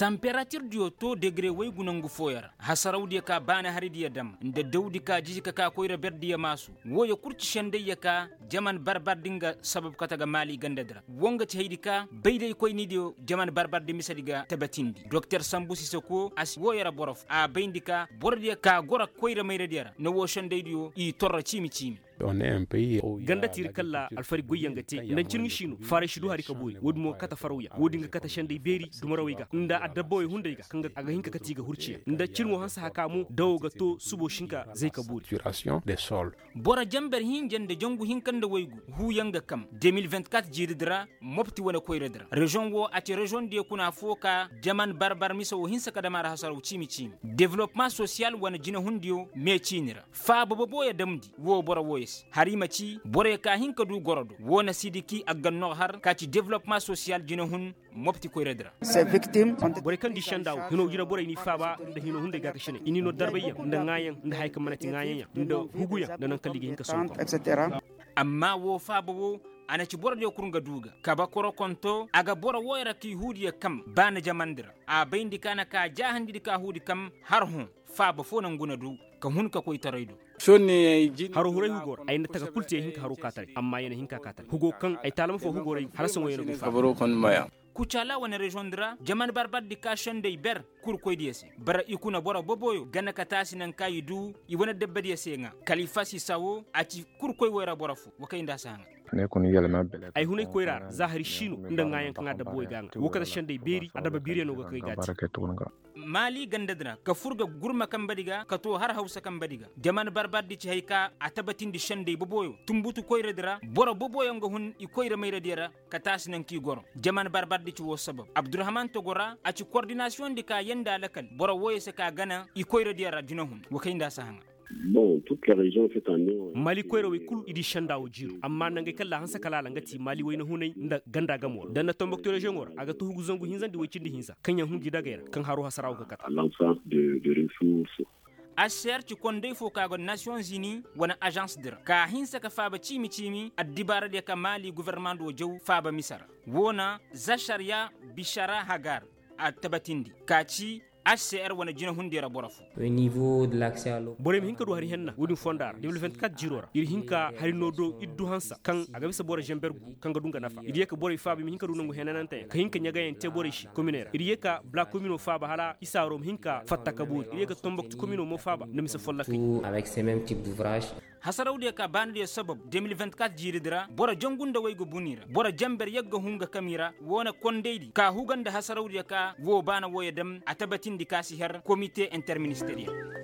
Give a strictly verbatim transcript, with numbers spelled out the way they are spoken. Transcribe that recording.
Tamperatirdiyo to degre waygu nangu fooyo ra. Hasarawdiyo ka baani haridiyo dam nda dawdi ka jiji ka ka koyra berdiyo maasu. Wooyo kul ci sendayyo ka jaman barbardi nga sabab kate ga maali gandadi ra. Woo nga ci haydi ka bay day koynidiyo jaman barbardi misedi ga tabatindi doktor sambu sisako a si wooyo ra boro fo a bayndi ka borodiyo ka goro koyra mayradiyo ra na woo sendaydiyo i torro ciimi ciimi. Ganda tiiri kalla alfari goyyaŋ ga te nda ncirŋi siino faaray si du hari ka boori woodin mo ga kate farawyaŋ woodin ga kate senday beeri dumarawey ga nda adabba wey hunday ga kaŋ a ga hin ka kate i ga hurciyaŋ nda cirŋo hanse haka mo dawo ga to subo si hin ka zay ka boori. Boro janber hinja nda jangu hinka nda waygu huuyaŋ ga kam de mil vingt-quatre jiiridi ra. Mopti wane koyradi ra reziyoŋ wo a ci reziyoŋdiyo kuna foo ka jaman barbar mise wo hinsa ka dam a ra hasaraw ciimi ciimi developma sosiyal wane jinehundiyo mee ciini ra. Faaba boboyo damndi woo boro wooyo se har i ma ci boroyo ka hin ka du goro do woo na sidiki aggannogo har ka ci developma sosiyal jinehun mopti koyradi ra. Borey kaŋ di senda wo hino jina borey n'i faaba nda hino hunday gaakasiney i n'i noo darbayyaŋ nda ŋaayaŋ nda haya kaŋ mana ti ŋaayaŋyaŋ nda huguyaŋ nda naŋ kaŋ liga hin ka sohõ kaŋ. Amma woo faaba woo a na ci borodiyo kul nga du ga kabe korokonto a ga boro wooyo ra k'i huudiyo kam baana jamandi ra. A bayndi ka na ka jaahandidi ka huudi kam har hõ faaba foo nangu na du ka hun ka koy taray do. Haro huray hugo ra ay na taka kul te ya hin ka haro kaataray amma ya na hin ka kaataray hugo kaŋ ay taalama foo hugo ra ay ga hala saŋo ya na go faaba. Kucaala wane reziyoŋ di ra jaman barbardi ka senday ber kurkoydiyo se bara i kuna boro boboyo gana ka taasi naŋ ka i du i wane dabbadiyo se ŋaa kala i fasi sawo a ci kurkoy woy ra boro foo wa kay nda a si haŋa. Ay hunay koyra ra za hari siino nda ŋaayaŋ kaŋ a dabba woy ga ŋaa woo kate senday beeri a dabba biiriyaŋ no ga kay gaati. Maali ganda din ra ka fur ga gurma kambadi ga ka too har hawsa kambadi ga jaman barbardi ci hay ka a tabatindi senday boboyo tunbutu koyradi ra boro boboyo nga hun i koyra mayradiyo ra. Ka taasi naŋ k'i goro jaman barbardi ci woo sabab abdurhaman togo ra a ci kordinasiyoŋ di ka yanda lakal boro wooyo se ka gana i koyradiyo ra jinahun wa kay nda a si haŋa. Mali koyrawey kul i di senda wo jiiro amma nangey kaŋ ra a hanse kala a la nga ti mali wayna hunay nda ganda gamo ra da na tombokto reziyoŋo ra a ga tuhugu zangu hinzandi woy cindi hinza kaŋ yaŋ hun gi dagey ra kaŋ haro hasara wo ga kata. Aser ci konday fo ka go nasiyoŋ zini wane azans di ra ka hinse ka faaba ciimi ciimi addibaaradiyo ka mali gofornamaŋ do jaw faaba mise ra. Woo na za sariya bishara hagar a tabatindi ka ci hcr wane jinahundiyo ra boro fo. Borey ma hin ka du hari henna woodin fonda ra de mil vingt-quatre jiiro ra ir hin ka hari no do ir du hansa kaŋ a ga bisa boro zamber gu kaŋ ga du nga nafa ir ye ka borey faaba i ma hin ka du nangu henananteyaŋ ka hin ka ɲagayaŋ te borey se kominey ra ir ye ka bala komino faaba hala isaaro ma hin ka fatta ka boori ir ye ka tombokti komino mo faaba nda mise follokey. Hasarawdiyo ka baanadiyo sabab de mil vingt-quatre jiiridi ra boro jangu nda waygu buni ra boro janber yagga hun ga kam i ra woo na kondaydi ka huga nda hasarawdiyo ka woo baana wooyo dam a tabatindi ka si har komite interministeriyel.